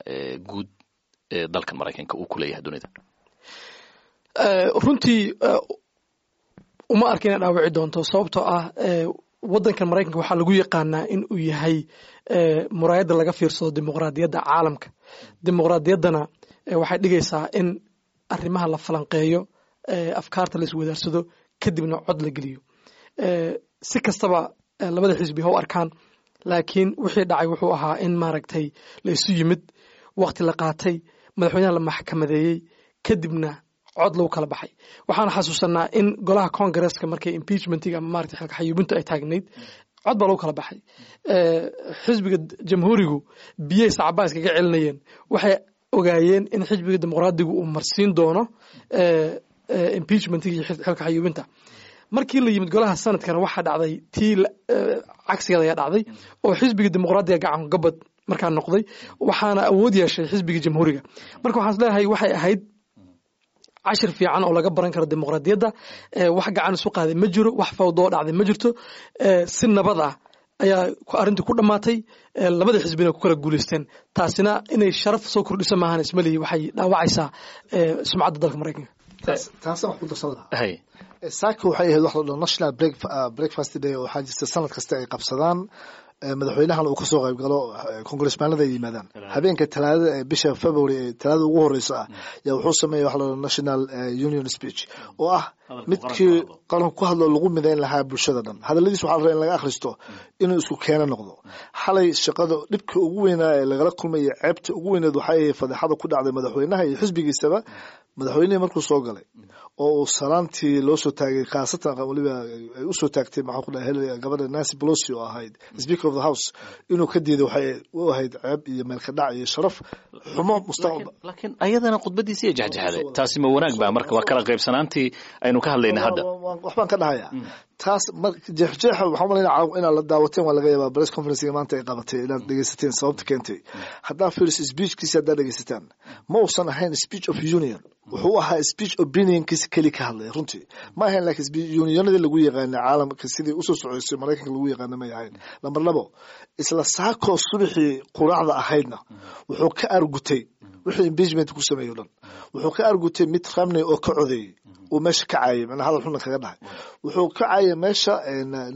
guud ee dalkan Maraykanka uu ku leeyahay dunida? Runtii uma arka inay dhaawici doonto, sababtoo ah waddankan Maraykanka waxaa lagu yaqaanaa in uu yahay muraayadda laga fiirsado dimuqraadiyadda caalamka. Dimuqraadiyaddana waxay dhigaysaa in arrimaha la falanqeeyo, Afkaarta la iswadaarsado, kadibna cod la geliyo. Si kastaba labada xisbi ha u arkaan, laakiin wixii dhacay wuxuu ahaa in maaragtay la isu yimid, waqti la qaatay, madaxweynaha la maxkamadeeyey, kadibna cod lagu kala baxay. Waxaan xasuusanaa in golaha Congresska markay impeachmentiga ama maaragtay xilka xayuubintu ay taagnayd, cod baa lagu kala baxay. Xisbiga Jamhuurigu biyay sacbaa iskaga celinayeen. Waxay ogaayeen in xisbiga Dimuqraadigu uu marsiin doono impeachmentiga iyo xilka xayuubinta. Markii la yimid golaha sanadkana, waxaa dhacday tii cagsigeeda ayaa dhacday, oo xisbiga Dimuqraadiga gacan gabad markaa noqday, waxaana awood yeeshay xisbiga Jamhuuriga. Marka waxaan isleeyahay waxay ahayd cashir fiican oo laga baran karo dimuqraadiyadda. Wax gacan isu qaaday ma jiro, wax fawdoo dhacday ma jirto. Si nabad ah ayaa arrintii ku dhammaatay, labada xisbina ku kala guulaysteen. Taasina inay sharaf soo kordhiso maahan ismalihi waxay dhaawacaysaa sumcadda dalka Maraykanka. Taasaan wax ku darsan lahaa. Saaka waxay ahayd wax la dhaho National Breakfast Day oo waxaa jirta sanad kasta ay qabsadaan, madaxweynahan uu kasoo qayb galo, congressmanada ay yimaadaan. Habeenka Talaadada ee bisha February ee Talaadada ugu horeysa ah yaa wuxuu sameeya waxa la dhaho National Union Speech, oo ah midkii qaranku ku hadlo, lagu midayn lahaa bulshada dhan. Hadalladiis waxaa la rabaa in laga akhristo inuu isku keeno noqdo. Xalay shaqada dhibka ugu weynaa ee lagala kulmaya, ceebta ugu weyneed, waxay ahayd fadeexada ku dhacday madaxweynaha iyo xisbigiisaba. Madaxweynihii markuu soo galay oo uu salaantii loo soo taagay, khaasatan weliba ay usoo taagtay, maxaa ku dhahay, gabadha Nancy Pelosi oo ahayd Speaker of the House, inuu ka diiday waxay u ahayd ceeb iyo meelka dhac iyo sharaf xumo mustaqbal. Laakiin ayadana khudbadiisi iyo jexjexday, taasi ma wanaag baa? Marka waa kala qaybsanaantii aynu ka hadlayna hadda. Waxbaan ka dhahayaa taas. Jeexjeexa waxaan umalaynaya inaad la daawateen waa laga yaabaa press conferencega maanta ay qabatay, inaad dhegeysateen sababta keentay. Haddaa fiiriso speechkiisa, haddaa dhegeysataan, ma uusan ahayn speech of union, wuxuu ahaa speech opinionkiisa keli ka hadlaya runtii ma ahayn. Laakiin unionadii lagu yaqaana caalamka sidii usoo socoysay Maraykanka lagu yaqaana may ahayn. Lambar labo, isla saakoo subaxii quraacda ahaydna wuxuu ka argutay wixii impeachment ku sameeyey o dhan. Wuxuu ka argutay Mitt Romney oo ka codeeyey, uu meesha ka caayay, macnaa hadal xunna kaga dhahay. Wuxuu ka caayay meesha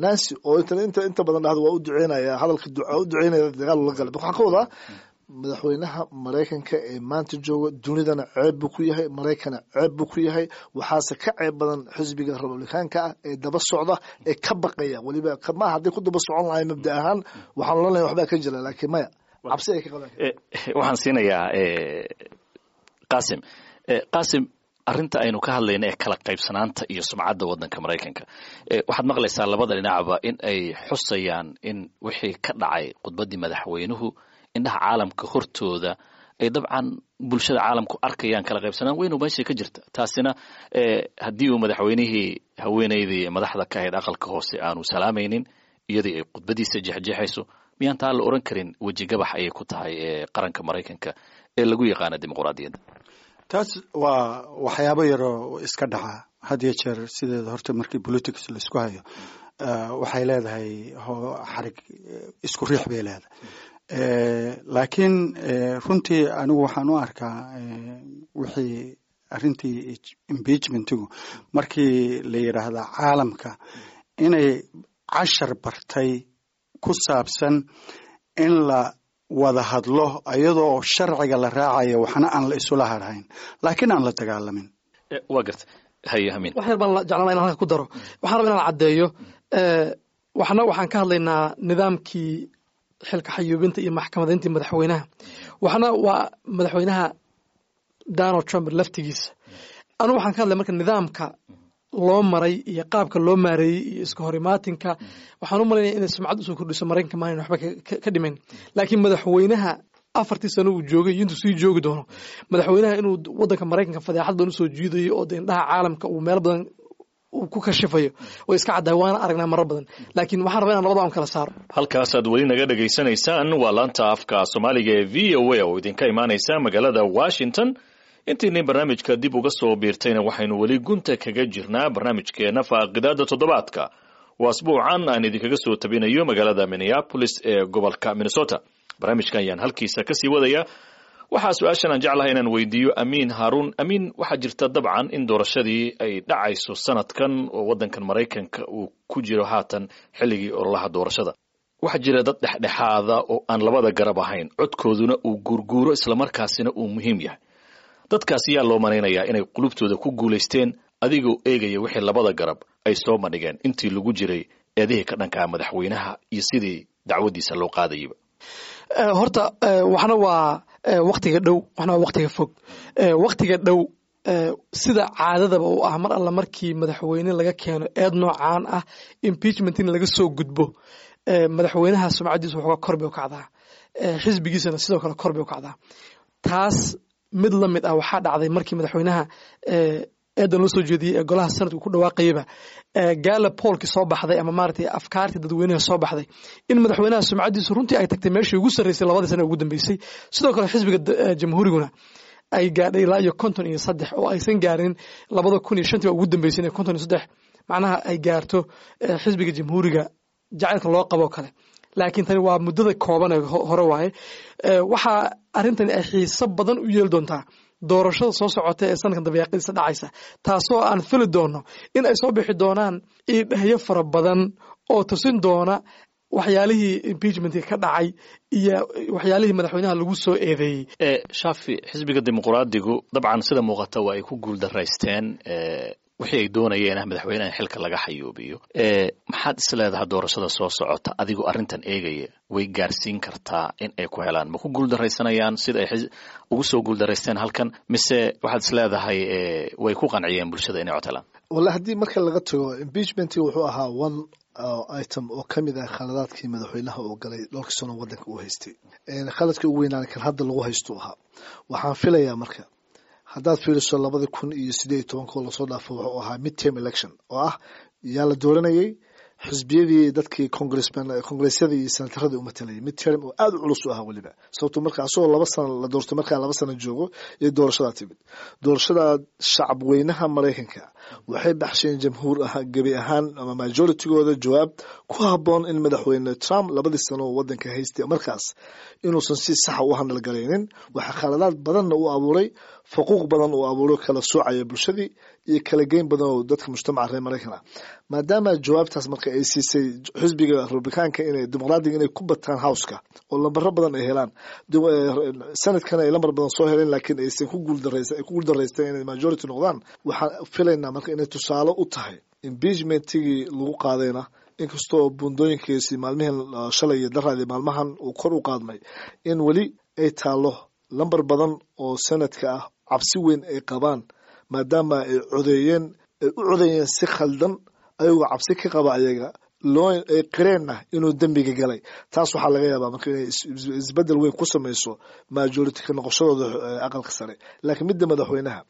Nancy oo inta inta inta badan dhahdo waa u duceynaya, hadalka duca u duceynaya, dagaal ula galay. Waxaan ka wadaa madaxweynaha Maraykanka ee maanta jooga dunidana ceeb buu ku yahay, Maraykana ceeb buu ku yahay. Waxaase ka ceeb badan xisbiga Republikaanka ah ee daba socda ee ka baqaya weliba. Maaha hadday ku daba socon lahay mabda ahaan, waxaan oran lahay waxbaa ka jira, laakiin maya, cabsi ay ka qabaan. Waxaan siinayaa Qasim. Qasim, arrinta aynu ka hadlayna ee kala qaybsanaanta iyo sumcadda waddanka Maraykanka, waxaad maqlaysaa labada dhinacba in ay xusayaan in wixii ka dhacay khudbaddii madaxweynuhu indhaha caalamka hortooda ay dabcan bulshada caalamku arkayaan kala qaybsanaan weynu meesha ka jirta. Taasina haddii uu madaxweynihii haweenaydii madaxda ka ahayd aqalka hoose aanu salaamaynin, iyadii ay khudbadiisa jeexjeexayso, miyaan taa la oran karin wejigabax ayay ku tahay qaranka Maraykanka ee lagu yaqaana dimuqraadiyadda? Taas waa waxyaabo yaroo iska dhaca had iyo jeer. Sideeda horta markii politics laisku hayo, waxay leedahay xarig isku riix bay leedahay. Laakiin runtii anigu waxaan u arkaa wixii arrintii impeachmentigu markii la yidhaahda caalamka inay cashar bartay ku saabsan in la wada hadlo iyadoo sharciga la raacayo, waxna aan la isula harhayn laakiin aan la dagaalamin. Waa garta, haye Amiin. Wax yar baan jeclaan inaan halka ku daro. Waxaan rabaa inaan caddeeyo waxna. Waxaan ka hadlaynaa nidaamkii xilka xayuubinta iyo maxkamadayntii madaxweynaha, waxna waa madaxweynaha Donald Trump laftigiisa. Anu waxaan ka hadlay marka nidaamka loo maray iyo qaabka loo maareeyey iyo iska horimaatinka. Waxaan u malaynaya inay sumcad usoo kordhiso Maraykanka maalin waxba ka dhimayn. Laakiin madaxweynaha afartii sano uu joogay iyo intuu sii joogi doono, madaxweynaha inuu waddanka Maraykanka fadeexad badan usoo jiidayo oo de indhaha caalamka uu meel badan uu ku kashifayo way iska caddahay, waana aragnaa marar badan. Laakiin waxaan rabaa inaan labada un kala saaro. Halkaasaad weli naga dhegaysanaysaan waa laanta afka Soomaaliga ee V O A oo idinka imaanaysa magaalada Washington. Intiinay barnaamijka dib uga soo biirtayna, waxaynu weli gunta kaga jirnaa barnaamijkeena faaqidaada toddobaadka oo asbuucan aan idinkaga soo tabinayo magaalada Minneapolis ee gobolka Minnesota. Barnaamijkan ayaan halkiisa kasii wadaya. Waxaa su-aashan aan jeclahay inaan weydiiyo Amiin Haarun. Amiin, waxaa jirta dabcan in doorashadii ay dhacayso sanadkan oo waddankan Maraykanka uu ku jiro haatan xilligii ololaha doorashada. Waxaa jira dad dhexdhexaada oo aan labada garab ahayn, codkooduna uu guurguuro islamarkaasina uu muhiim yahay. Dadkaas yaa loo malaynayaa inay qulubtooda ku guulaysteen Adigoo eegaya wixii labada garab ay soo bandhigeen intii lagu jiray eedihii ka dhankaa madaxweynaha iyo sidii dacwaddiisa loo qaadayaba. Horta waxna waa waktiga dhow, waxna waa waktiga fog. Waktiga dhow, sida caadadaba u ah, mar alla markii madaxweyne laga keeno eed noocaan ah, impeachment in laga soo gudbo, madaxweynaha sumcaddiisu waxoogaa kor bay u kacdaa, xisbigiisana sidoo kale kor bay u kacdaa. Taas mid la mid ah waxaa dhacday markii madaxweynaha eedan loo soo jeediyey ee golaha sanadku ku dhawaaqayaba, Gallup poll-kii soo baxday ama maaragtay afkaartii dadweynaha soo baxday, in madaxweynaha sumcaddiisu runtii ay tagtay meeshii ugu sarreysay labadii sana ugu dambeysay. Sidoo kale xisbiga Jamhuuriguna ay gaadhay ilaa iyo konton iyo saddex oo aysan gaarin labada kun iyo shantii baa ugu dambeysay inay konton iyo saddex macnaha ay gaarto xisbiga Jamhuuriga jacaylka loo qabo kale. Laakiin tani waa muddada kooban ee hore waaye. Waxaa arrintani ay xiiso badan u yeeli doontaa doorashada soo socota ee sanadkan dabayaaqadiisa dhacaysa, taasoo aan fili doono in ay soo bixi doonaan iidhahyo fara badan oo tusin doona waxyaalihii impeachmentka ka dhacay iyo waxyaalihii madaxweynaha lagu soo eedeeyey. Shaafi, xisbiga Dimuqraadigu dabcan sida muuqata waa ay ku guuldaraysteen wixii ay doonayeen ah madaxweynaha in xilka laga xayuubiyo. Maxaad is leedahay doorashada soo socota, adigoo arrintan eegaya, way gaarsiin kartaa in ay ku helaan? Ma ku guuldaraysanayaan sida ay ugu soo guuldaraysteen halkan, mise waxaad is leedahay way ku qanciyeen bulshada inay cod helaan? Walla, haddii marka laga tago impeachmentii, wuxuu ahaa one item oo ka mid ah khaladaadkii madaxweynaha uu galay dhowrkii sano waddanka uu haystay. Khaladkii ugu weynaan kan hadda lagu haysto ahaa. Waxaan filayaa marka haddaad fiiriso labada kun iyo sideed iyo tobanka oo lasoo dhaafo, wuxuu ahaa midterm election oo ah yaa la dooranayay xisbiyadii, dadkii congressman, congressyadii iyo senataradii u matalayay, midterm oo aada u culus u ahaa weliba, sababto marka asagoo laba sano la doorto, markaa laba sano joogo iyo doorashadaa timid. Doorashada shacab weynaha Maraykanka waxay baxsheen jamhuur ahaan gebi ahaan ama majoritygooda jawaab ku habboon in madaxweyne Trump labadii sano oo wadanka haystay markaas inuusan si saxa u handalgalaynin. Waxaa khaladaad badanna u abuuray, faquuq badan uu abuuray, kala soocaya bulshadii iyo kala geyn badan oo dadka mujtamaca reer Maraykan ah. Maadaama jawaabtaas marka ay siisay xisbiga Republikaanka inay Dimuqraadiga inay ku bataan Houseka oo lambaro badan ay helaan, sanadkana ay lambar badan soo heleen, laakiin aysan ku guuldaraysan, ay ku guuldaraysteen inay majority noqdaan. Waxaan filaynaa marka inay tusaale u tahay impeachmentigii lagu qaadayna, inkastoo buundooyinkiisi maalmihan shalay iyo daraadii maalmahan uu kor u qaadmay, in weli ay taalo lambar badan oo sanadka ah cabsi weyn ay qabaan, maadaama ay codeeyeen, ay u codeeyeen si khaldan, ayagoo cabsi ka qaba ayaga loo ay qireenna inuu dembiga galay. Taas waxaa laga yaabaa marka inay isbedel weyn ku samayso majority ka noqoshadooda aqalka sare. Laakiin midda madaxweynaha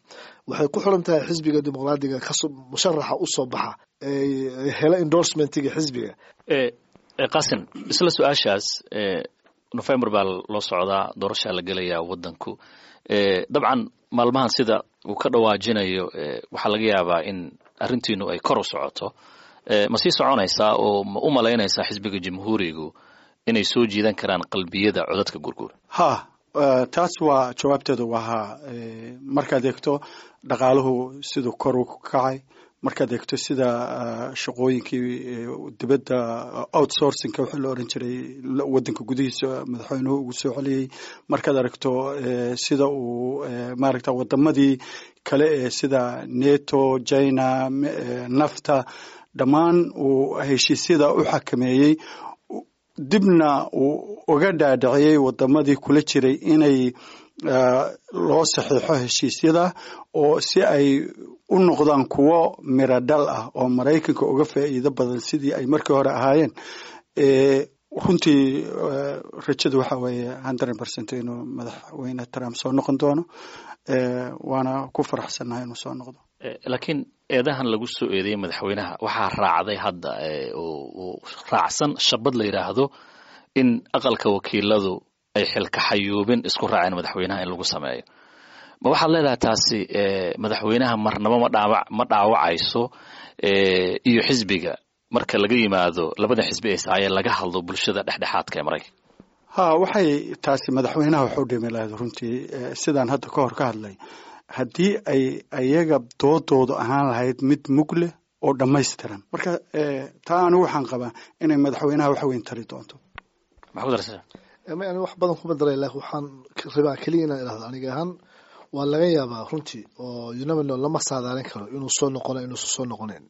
waxay ku xiran tahay xisbiga Dimuqraadiga kasoo musharaxa usoo baxa hela endorsementiga xisbiga. Qasim, isla su-aashaas, November baa loo socdaa, doorashaa la gelayaa waddanku. Dabcan maalmahan sida uu ka dhawaajinayo waxaa laga yaabaa in arrintiinu ay kor u socoto. Ma sii soconaysaa oo ma u malaynaysaa xisbiga Jamhuurigu inay soo jiidan karaan qalbiyada codadka gurguura? Ha, taas waa jawaabteedu waa haa. Markaad eegto dhaqaaluhu siduu kor u kacay, markaad eegto sida shaqooyinkii dibadda outsourcingka wixii la oran jiray waddanka gudihiisa madaxweynuhu ugu soo celiyey, markaad aragto sida uu maaragta wadamadii kale ee sida NATO, China, NAFTA dhammaan uu heshiisyada u xakameeyey, dibna uu uga dhaadhiciyey wadamadii kula jiray inay loo saxiixo heshiisyada oo si ay u noqdaan kuwo miro dhal ah oo Maraykanka uga faa'iido badan sidii ay markii hore ahaayeen. Runtii rajadu waxa weeye hundred percent inuu madaxweyne Trump soo noqon doono, waana ku faraxsannahay inuu soo noqdo. Laakiin eedahan lagu soo eedeeyey madaxweynaha waxaa raacday hadda oo raacsan shabad la yidhaahdo in aqalka wakiiladu ay xilka xayuubin isku raaceen madaxweynaha in lagu sameeyo. Ma waxaad leedahay taasi madaxweynaha marnaba ma dhaawac ma dhaawacayso iyo xisbiga, marka laga yimaado labada xisbi ee saayee laga hadlo bulshada dhexdhexaadka ee Maraykanka? Ha, waxay taasi madaxweynaha waxu dhimi lahayd runtii, sidaan hadda ka hor ka hadlay, haddii ay ayaga doodoodu ahaan lahayd mid mug leh oo dhammaystiran. Marka taa anigu waxaan qabaa inay madaxweynaha wax weyn tari doonto. Maxaa ku daraysaa? Ani wax badan kuma daray, laakiin waxaan rabaa keliya inaan idhahdo aniga ahaan Waa laga yaabaa runtii oo you never know, lama saadaalin karo inuu soo noqono inuusan soo noqonayn,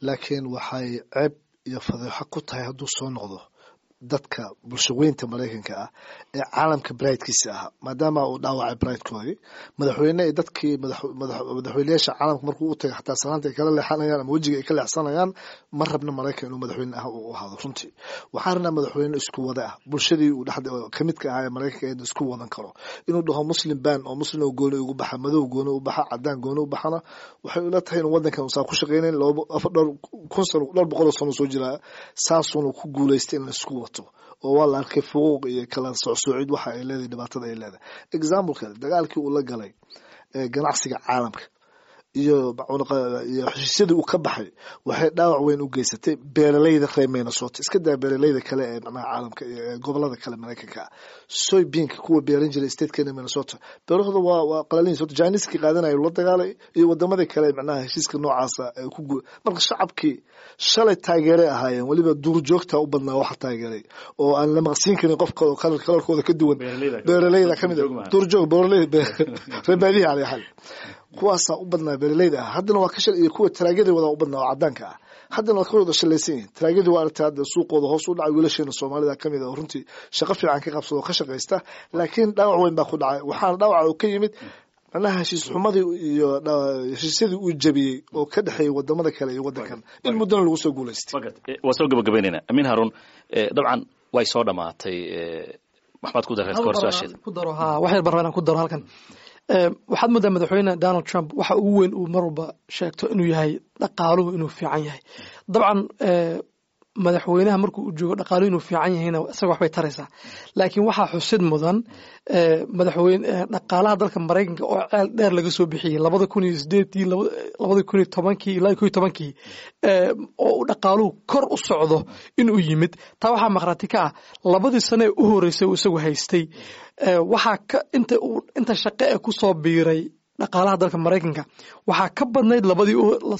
laakiin waxay ceeb iyo fadeexo ku tahay hadduu soo noqdo dadka bulshaweynta Maraykanka ah ee caalamka bridekiisa ahaa, maadaama uu dhaawacay bridekoodii madaxweyne ay dadkii madaxweyneyaasha caalamka markuu u tagay xataa salaanta ay kala leexanayaan ama wejiga ay ka leexsanayaan. Ma rabna Maraykan inuu madaxweyne ah uu ahaado runtii. Waxaan rabnaa madaxweyne isku wada ah, bulshadii uu dhexda kamidka ahaa ee Maraykanka ee isku wadan karo. Inuu dhaho Muslim ban oo Muslim oo gooni ugu baxa, madow gooni u baxa, cadaan gooni u baxana, waxay ula tahay inuu wadankan uusan ku shaqeynayn. Laba afar dhowr kun sano, dhowr boqol oo sano soo jiraa, saasuuna ku guuleystay in la isku wato, oo waa la arkay fuquuq iyo kala socsoocid waxa ay leedahay, dhibaatada ay leedahay. Example kale, dagaalkii uu la galay ganacsiga caalamka iyo iyo heshiisyadii uu ka baxay waxay dhaawac weyn u geysatay beeralayda reer Minnesota. Iska daa beeralayda kale ee macnaha caalamka iyo gobolada kale Maraykanka ah, soybeanka kuwa beeran jiray statekeena Minnesota beerahooda waa waa qalalin. Sababta Chinese-kii qaadanayo la dagaalay iyo wadamadii kale macnaha heshiiska noocaasa ay ku gu. Marka shacabkii shalay taageeray ahaayeen, weliba duurjoogta u badnaa waxa taageeray oo aan la maqsiin karin qofka oo kalarkooda ka duwan, beeralayda kamid ah, duurjoog, beeralayda reer baadiyaha calaa xal, kuwaasaa u badnaa beeralayda ah. Haddana waa ka shal iyo kuwa taraagyada wadaa u badnaa oo cadaanka ah, haddana waa ka wada shalaysan yihin taraagyadii. Waa aragtay hadda suuqooda hoos u dhacay. Wiilasheena Soomaalida kamid ah oo runtii shaqo fiican ka qabsado oo ka shaqaysta, laakiin dhaawac weyn baa ku dhacay. Waxaana dhaawaca uu ka yimid macnaha heshiis xumadii iyo heshiisyadii uu jabiyey oo ka dhexeeyey wadamada kale iyo wadankan in muddana lagu soo guulaystay. Waa soo gabagabaynaynaa. Amiin Haarun, dabcan way soo dhamaatay, maxmaad ku dareen kahor su-aasheeda? Ku daro ha, wax yar baan rabaa inaan ku daro halkan. Waxaad moodaa madaxweyne Donald Trump waxa ugu weyn uu mar walba sheegto inuu yahay dhaqaaluhu inuu fiican yahay. Dabcan madaxweynaha markuu u joogo dhaqaaluhu inuu fiican yahayna isaga waxbay taraysaa, laakiin waxaa xusid mudan madaxweyne dhaqaalaha dalka Maraykanka oo ceel dheer laga soo bixiyey labada kun iyo sideedii, labada kun iyo tobankii ilaa ko iyo tobankii, oo uu dhaqaaluhu kor u socdo inuu yimid. Taa waxaa maqraati ka ah labadii sane ee u horeysay uu isagu haystay, waxaa ka inta uu inta shaqe ee kusoo biiray dhaqaalaha dalka Maraykanka waxaa ka badnayd labadii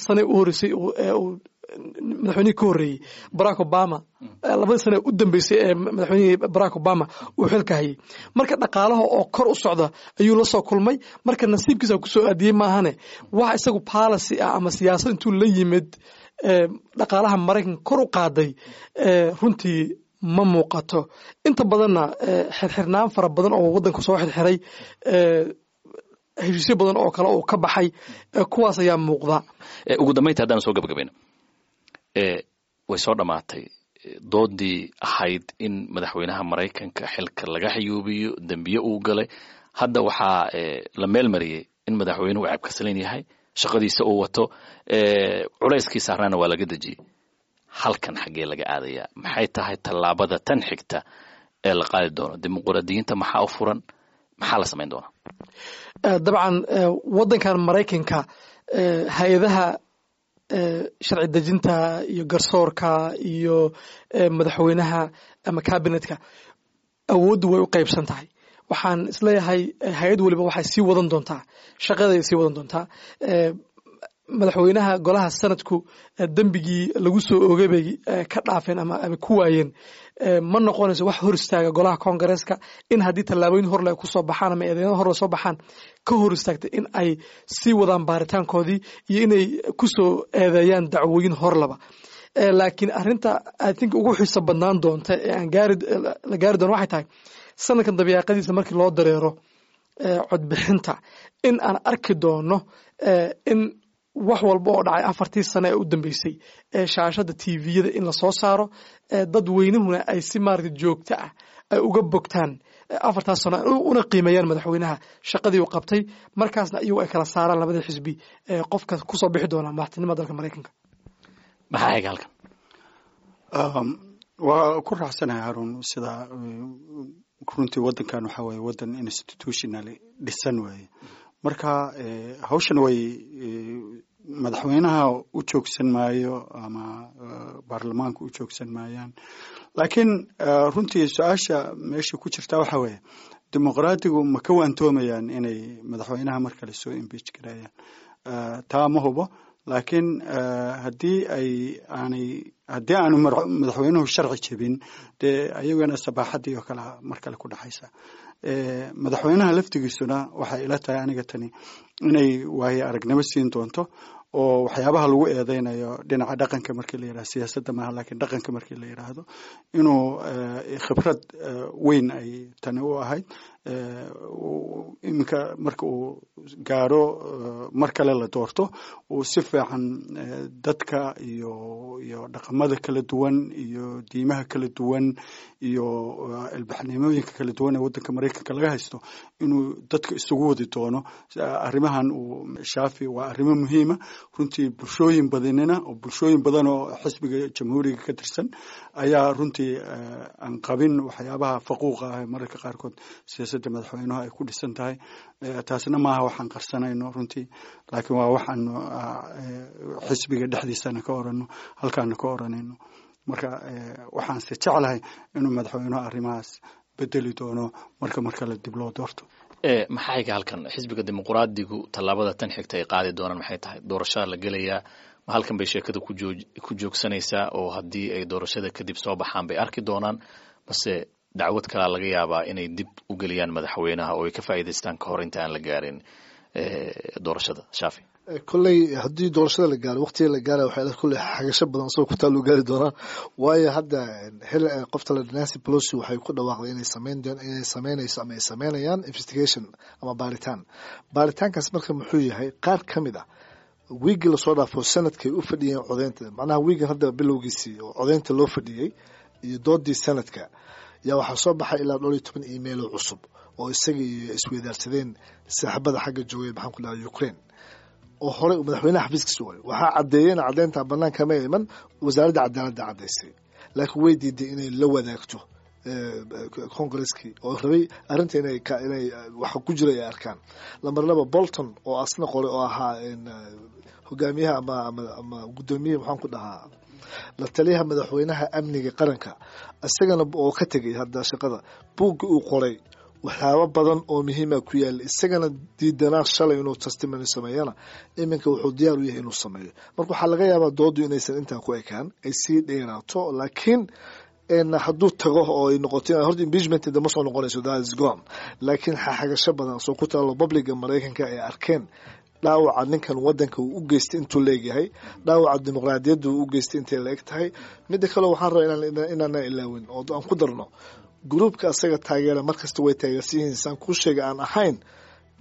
sane u horeysay ee uu madaxweynihii ka horreeyey Barack Obama, labadii sane u dambeysay ee madaxweynihii Barack Obama uu xilka hayay. Marka dhaqaalaha oo kor u socda ayuu la soo kulmay. Marka nasiibkiisa kusoo aadiyey maahane, wax isagu policy ah ama siyaasad intuu la yimid dhaqaalaha Maraykanka kor u qaaday runtii ma muuqato. Inta badanna xirxirnaan fara badan oo waddanka soo xirxiray, heshiisyo badan oo kale oo ka baxay, kuwaas ayaa muuqda. Ugu dambaynta haddaan soo gabagabayno, way soo dhammaatay doodii ahayd in madaxweynaha Maraykanka xilka laga xayuubiyo dembiye uu galay. Hadda waxaa la meel mariyey in madaxweynuhu ceebkasalan yahay, shaqadiisa uu wato, culayskii saarnaana waa laga dejiyey. Halkan xaggee laga aadayaa? Maxay tahay tallaabada tan xigta ee la qaadi doono? Dimuqraadiyiinta maxaa u furan? Maxaa la samayn doonaa? Dabcan waddankan Maraykanka hay-adaha sharci dejinta iyo garsoorka iyo madaxweynaha ama cabinetka awooddu way u qaybsan tahay. Waxaan isleeyahay hay-ad waliba waxay sii wadan doontaa shaqaday sii wadan doontaa. Madaxweynaha golaha sanadku dembigii lagu soo oogay bay ka dhaafeen ama ama ku waayeen. Ma noqonayso wax hor istaaga golaha Koongareeska in haddii tallaabooyin horle ay kusoo baxaan ama eedeymo horle soo baxaan ka hor istaagta in ay sii wadaan baaritaankoodii iyo inay kusoo eedeeyaan dacwooyin horlaba. Laakiin arrinta I think ugu xiiso badnaan doonta ee aan gaari la gaari doono waxay tahay sanadkan dabiiqadiisa markii loo dareero codbixinta in aan arki doono in wax walba oo dhacay afartii sane ee u dambeysay ee shaashada T V-yada in lasoo saaro, dadweynuhuna ay si maaragta joogto ah ay uga bogtaan afartaas sano una qiimeeyaan madaxweynaha shaqadii uu qabtay. Markaasna iyagu ay kala saaraan labada xisbi qofka kusoo bixi doona madaxtinimada dalka Maraykanka. Maxaa xiga halkan? Waa ku raacsanahay Haarun. Sida runtii waddankan waxaa waye waddan institutionally dhisan waaye. Marka hawshan way madaxweynaha u joogsan maayo ama baarlamaanka u joogsan maayaan, laakiin runtii su-aasha meesha ku jirta waxaa weeye dimuqraadigu ma ka waantoomayaan inay madaxweynaha mar kale soo impeach gareeyaan? Taa ma hubo, laakiin haddii ay aanay haddii aanu madaxweynuhu sharci jebin, dee ayagana sabaaxaddii oo kale mar kale ku dhexaysa. Madaxweynaha laftigiisuna waxay ila tahay aniga tani inay waayo aragnimo siin doonto, oo waxyaabaha lagu eedeynayo dhinaca dhaqanka markii la yidhahdo, siyaasadda maaha laakiin dhaqanka markii la yidhaahdo, inuu khibrad weyn ay tani u ahayd. Iminka marka uu gaaro mar kale la doorto, uu si fiican dadka iyo iyo dhaqamada kala duwan iyo diimaha kala duwan iyo ilbaxnimooyinka kala duwan ee waddanka Maraykanka laga haysto inuu dadka isugu wadi doono. Arrimahan uu Shaafi waa arrimo muhiima runtii. Bulshooyin badanina oo bulshooyin badan oo xisbiga Jamhuuriga ka tirsan ayaa runtii aan qabin waxyaabaha faquuqa ah ee mararka qaarkood siyaasadda madaxweynuhu ay ku dhisan tahay. Taasna maaha waxaan qarsanayno runtii, laakiin waa waxaanu xisbiga dhexdiisana ka orano, halkaana ka oranayno. Marka waxaanse jeclahay inuu madaxweynuhu arrimahaas bedeli doono marka mar kale dib loo doorto. Maxaa xiga halkan? Xisbiga Dimuqraadigu tallaabada tan xigta ay qaadi doonaan maxay tahay? Doorashada la gelayaa, ma halkan bay sheekada kujoo ku joogsanaysaa, oo haddii ay doorashada kadib soo baxaan bay arki doonaan, mase dacwad kalaa laga yaabaa inay dib u geliyaan madaxweynaha oo ay ka faa'iidaystaan ka hor inta aan la gaarin doorashada, Shaafi? Kolley haddii doorashada la gaaro, waqtiga la gaara, waxay kolley xagasho badan soo ku taal gaari doonaa, waayo hadda xil qofta la Nancy Pelosi waxay ku dhawaaqday inay sameyn doon inay sameynayso ama ay sameynayaan investigation ama baaritaan. Baaritaankaas marka muxuu yahay? Qaar ka mid ah wiigii lasoo dhaafo sanadkay u fadhiyeen codeynta, macnaha wiigan hadda bilowgiisii oo codeynta loo fadhiyey iyo doodii sanadka, yaa waxaa soo baxay ilaa dhowr iyo toban email oo cusub oo isaga iyo isweydaarsadeen saaxiibada xagga joogay, maxaan ku dhahay, Ukraine, oo horey madaxweynaha xafiiskiisa waay. Waxaa caddeeyeen, caddeynta banaanka ma iman, wasaaradda cadaaladda caddaysay, laakiin way diiday inay la wadaagto Congaresskii oo rabay arrinta inay inay waxa ku jira ay arkaan. Lambar laba, Bolton oo asna qoray oo ahaa hogaamiyaha ama ama ama guddoomiyaha, maxaan ku dhahaa, la taliyaha madaxweynaha amniga qaranka, isagana oo ka tegay hadda shaqada, buugga uu qoray waxyaabo badan oo muhiima ku yaala, isagana diidanaa shalay inuu testimony sameeyana, iminka wuxuu diyaar u yahay inuu sameeyo. Marka waxaa laga yaabaa doodu inaysan intaa ku ekaan, ay sii dheeraato, laakiin hadduu tago oo ay noqoto horta impeachment dama soo noqonayso, that is gone, laakiin xaxagasho badan soo ku taalo publica Maraykanka ay arkeen dhaawaca ninkan wadanka uu u geystay intuu leegyahay, dhaawaca dimuqraadiyadda uu u geystay intay la eg tahay. Midda kale waxaan rabaa inaana ilaawin oo aan ku darno, gruubka asaga taageera markasta way taageersan yihiin, saan kuu sheegay, aan ahayn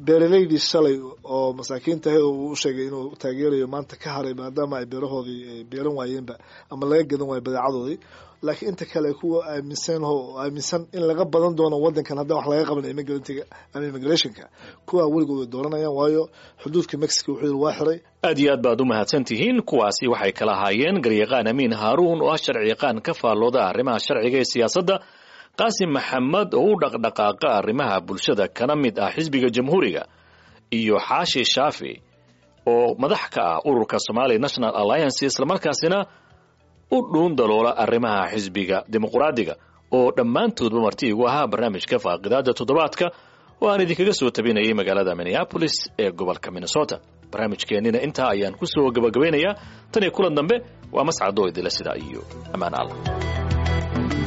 beeraleydii shalay oo masaakiinta ahayd oo uu u sheegay inuu taageerayo, maanta ka haray maadaama ay beerahoodii ay beeran waayeenba ama laga gadan waayo badeecadoodii, laakiin inta kale kuwa aaminsan oo aaminsan in laga badan doono wadankan haddaan wax laga qaban immigrantiga ama immigrationka, kuwa weligood way dooranayaan, waayo xuduudka Mexico wuxuu yidhi waa xiray. Aad iyo aad baad u mahadsan tihiin. Kuwaasi waxay kala ahaayeen garyaqaan Amiin Haaruun oo ah sharciyaqaan ka faallooda arrimaha sharciga ee siyaasadda, Qaasim Maxamed oo u dhaqdhaqaaqa arrimaha bulshada kana mid ah xisbiga Jamhuuriga, iyo Xaashi Shaafi oo madax ka ah ururka Somali National Alliance, islamarkaasina u dhuun daloola arrimaha xisbiga Dimuqraadiga, oo dhammaantoodba marti igu ahaa barnaamijka faaqidaada toddobaadka oo aan idinkaga soo tabinayay magaalada Minneapolis ee gobolka Minnesota. Barnaamijkeennina intaa ayaan ku soo gabagabaynayaa. Tan iyo kulan dambe, waa Mascadoo idila sidaa iyo ammaan Allah.